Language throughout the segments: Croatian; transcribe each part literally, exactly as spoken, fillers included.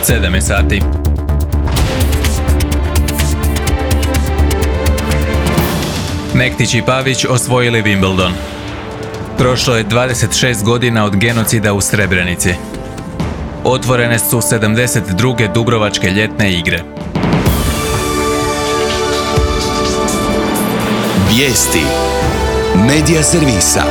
sedam je sati. Mektić i Pavić osvojili Wimbledon. Prošlo je dvadeset šest godina od genocida u Srebrenici. Otvorene su sedamdeset druge Dubrovačke ljetne igre. Vijesti Medija servisa.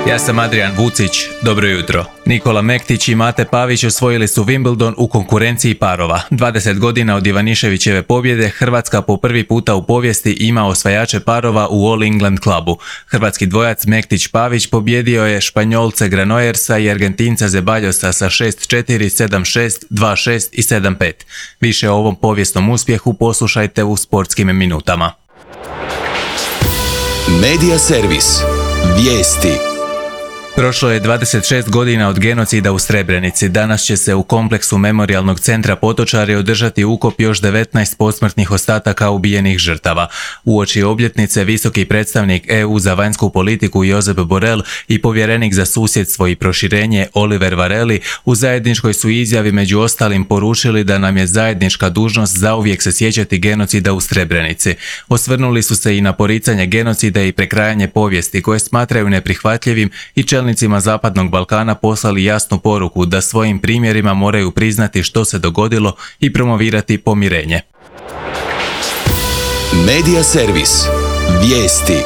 Ja sam Adrian Vucić, dobro jutro. Nikola Mektić i Mate Pavić osvojili su Wimbledon u konkurenciji parova. dvadeset godina od Ivaniševićeve pobjede, Hrvatska po prvi puta u povijesti ima osvajače parova u All England klubu. Hrvatski dvojac Mektić-Pavić pobjedio je Španjolce Granollерsa i Argentinca Zeballosa sa šest četiri, sedam šest, dva šest i sedam pet. Više o ovom povijesnom uspjehu poslušajte u sportskim minutama. Medija servis. Vijesti. Prošlo je dvadeset šest godina od genocida u Srebrenici. Danas će se u kompleksu Memorijalnog centra Potočari održati ukop još devetnaest posmrtnih ostataka ubijenih žrtava. Uoči obljetnice visoki predstavnik E U za vanjsku politiku Josep Borrell i povjerenik za susjedstvo i proširenje Oliver Varelli u zajedničkoj su izjavi među ostalim poručili da nam je zajednička dužnost zauvijek se sjećati genocida u Srebrenici. Osvrnuli su se i na poricanje genocida i prekrajanje povijesti koje smatraju neprihvatljivim i čelnicima Zapadnog Balkana poslali jasnu poruku da svojim primjerima moraju priznati što se dogodilo i promovirati pomirenje. Medija servis. Vijesti.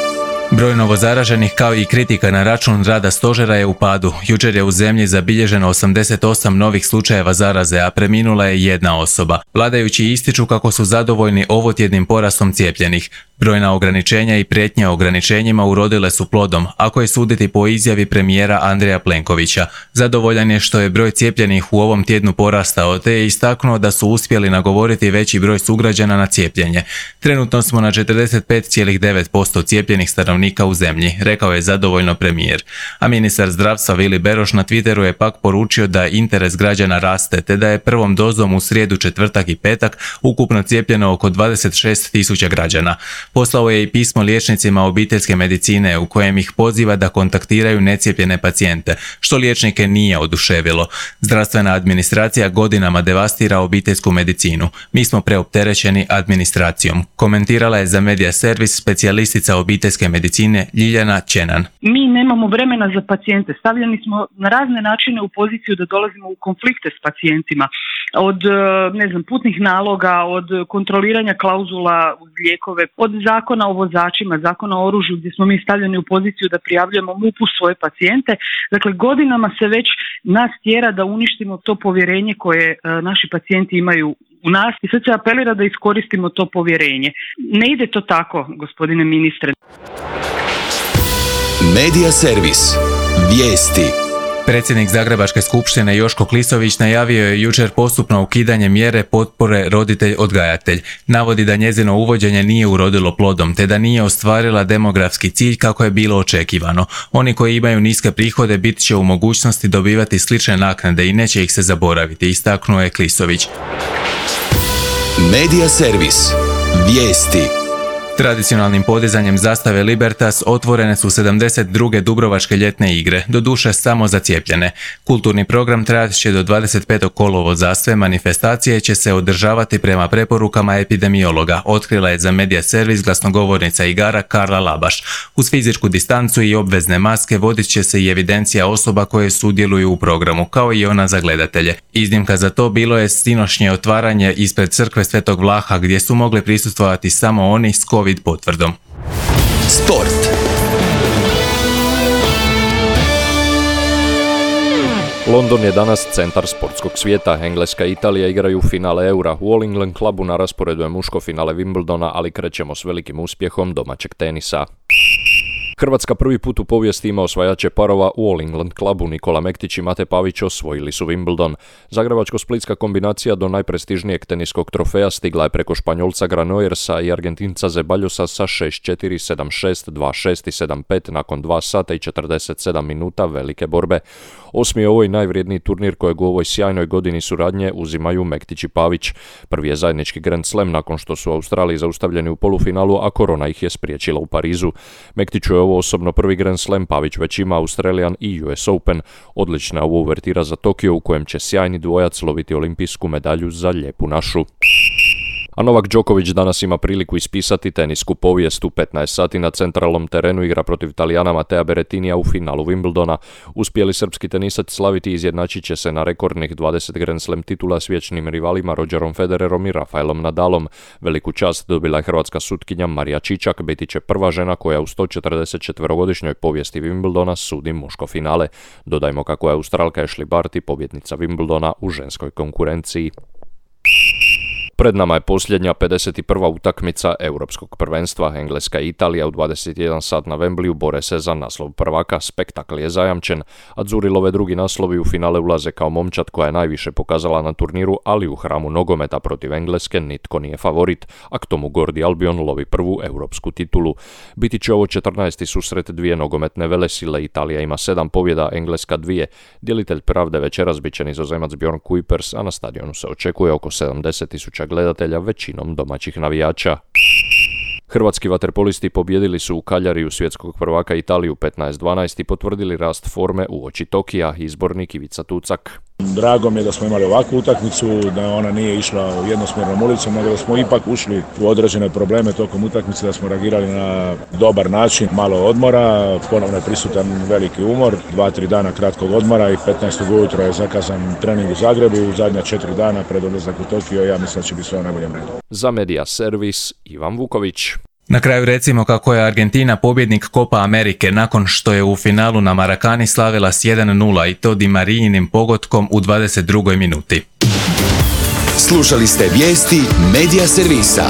Broj novozaraženih kao i kritika na račun rada stožera je u padu. Jučer je u zemlji zabilježeno osamdeset osam novih slučajeva zaraze, a preminula je jedna osoba. Vladajući ističu kako su zadovoljni ovotjednim porastom cijepljenih. Brojna ograničenja i prijetnje ograničenjima urodile su plodom, ako je suditi po izjavi premijera Andreja Plenkovića. Zadovoljan je što je broj cijepljenih u ovom tjednu porastao, te je istaknuo da su uspjeli nagovoriti veći broj sugrađana na cijepljenje. Trenutno smo na četrdeset pet zarez devet posto cijepljenih stanovnika u zemlji, rekao je zadovoljno premijer. A ministar zdravstva Vili Beroš na Twitteru je pak poručio da interes građana raste, te da je prvom dozom u srijedu, četvrtak i petak ukupno cijepljeno oko dvadeset šest tisuća građana. Poslao je i pismo liječnicima obiteljske medicine u kojem ih poziva da kontaktiraju necijepljene pacijente, što liječnike nije oduševilo. Zdravstvena administracija godinama devastira obiteljsku medicinu. Mi smo preopterećeni administracijom, komentirala je za Medija servis specijalistica obiteljske medicine Ljiljana Čenan. Mi nemamo vremena za pacijente. Stavljeni smo na razne načine u poziciju da dolazimo u konflikte s pacijentima. Od ne znam, putnih naloga, od kontroliranja klauzula uz lijekove, od zakona o vozačima, zakona o oružju gdje smo mi stavljeni u poziciju da prijavljujemo M U P-u svoje pacijente. Dakle, godinama se već nas tjera da uništimo to povjerenje koje e, naši pacijenti imaju u nas i sad se apelira da iskoristimo to povjerenje. Ne ide to tako, gospodine ministre. Medija servis. Vijesti. Predsjednik Zagrebačke skupštine Joško Klisović najavio je jučer postupno ukidanje mjere potpore roditelj-odgajatelj. Navodi da njezino uvođenje nije urodilo plodom, te da nije ostvarila demografski cilj kako je bilo očekivano. Oni koji imaju niske prihode bit će u mogućnosti dobivati slične naknade i neće ih se zaboraviti, istaknuo je Klisović. Medija servis. Vijesti. Tradicionalnim podizanjem zastave Libertas otvorene su sedamdeset druge Dubrovačke ljetne igre, doduše samo za cijepljene. Kulturni program trajat će do dvadeset petog kolovoza, sve manifestacije će se održavati prema preporukama epidemiologa, otkrila je za Medija servis glasnogovornica igara Karla Labaš. Uz fizičku distancu i obvezne maske vodit će se i evidencija osoba koje sudjeluju u programu, kao i ona za gledatelje. Iznimka za to bilo je sinoćnje otvaranje ispred crkve Svetog Vlaha, gdje su mogli prisustvovati samo oni s COVID potvrdom. Sport. London je danas centar sportskog svijeta. Engleska i Italija igraju finale Eura. U All England klubu na rasporedu je muško finale Wimbledona, ali krećemo s velikim uspjehom domaćeg tenisa. Hrvatska prvi put u povijesti ima osvajače parova u All England klubu. Nikola Mektić i Mate Pavić osvojili su Wimbledon. Zagrebačko-splitska kombinacija do najprestižnijeg teniskog trofeja stigla je preko Španjolca Granollерsa i Argentinca Zeballosa sa šest četiri, sedam šest, dva šest i sedam pet nakon dva sata i četrdeset sedam minuta velike borbe. Osmi je ovo i najvrijedniji turnir kojeg u ovoj sjajnoj godini suradnje uzimaju Mektić i Pavić. Prvi je zajednički Grand Slam nakon što su u Australiji zaustavljeni u polufinalu, a korona ih je spriječila u Parizu. Mektiću je ovo ovo osobno prvi Grand Slam, Pavić već ima Australian i U S Open. Odlična je ovo uvertira za Tokio u kojem će sjajni dvojac loviti olimpijsku medalju za lijepu našu. A Novak Đoković danas ima priliku ispisati tenisku povijest. U petnaest sati na centralnom terenu igra protiv Talijana Matea Berrettinija u finalu Wimbledona. Uspjeli srpski tenisac slaviti izjednačit će se na rekordnih dvadeset Grand Slam titula s vječnim rivalima Rogerom Federerom i Rafaelom Nadalom. Veliku čast dobila je hrvatska sutkinja Marija Čičak, biti će prva žena koja u sto četrdeset četverogodišnjoj povijesti Wimbledona sudi muško finale. Dodajmo kako je Australka Ashley Barty pobjednica Wimbledona u ženskoj konkurenciji. Pred nama je posljednja pedeset prva utakmica Europskog prvenstva. Engleska i Italija u dvadeset jedan sat na Wembleyu bore se za naslov prvaka. Spektakl je zajamčen. Adzurilove drugi naslovi u finale ulaze kao momčad koja je najviše pokazala na turniru, ali u hramu nogometa protiv Engleske nitko nije favorit, a k tomu Gordi Albion lovi prvu europsku titulu. Biti će ovo četrnaesti susret dvije nogometne velesile. Italija ima sedam pobjeda, Engleska dvije. Djelitelj pravde večeras bit će Nizozemac Bjorn Kuipers, a na stadionu se očekuje oko sedamdeset tisuća gledatelja, većinom domaćih navijača. Hrvatski vaterpolisti pobjedili su u Kaljariju svjetskog prvaka Italiju petnaest dvanaest i potvrdili rast forme uoči Tokija, izbornik Ivica Tucak. Drago mi je da smo imali ovakvu utakmicu, da ona nije išla jednosmjernom ulicom, nego da smo ipak ušli u određene probleme tokom utakmice, da smo reagirali na dobar način, malo odmora, ponovno je prisutan veliki umor, dva, tri dana kratkog odmora i petnaestog ujutro je zakazan trening u Zagrebu, u zadnja četiri dana pred odlazak u Tokio, ja mislim da će biti sve u najboljem redu. Za Media Servis, Ivan Vuković. Na kraju recimo kako je Argentina pobjednik Copa Amerike nakon što je u finalu na Maracani slavila s jedan nula i to Di Marijinim pogotkom u dvadeset drugoj minuti. Slušali ste vijesti Media Servisa.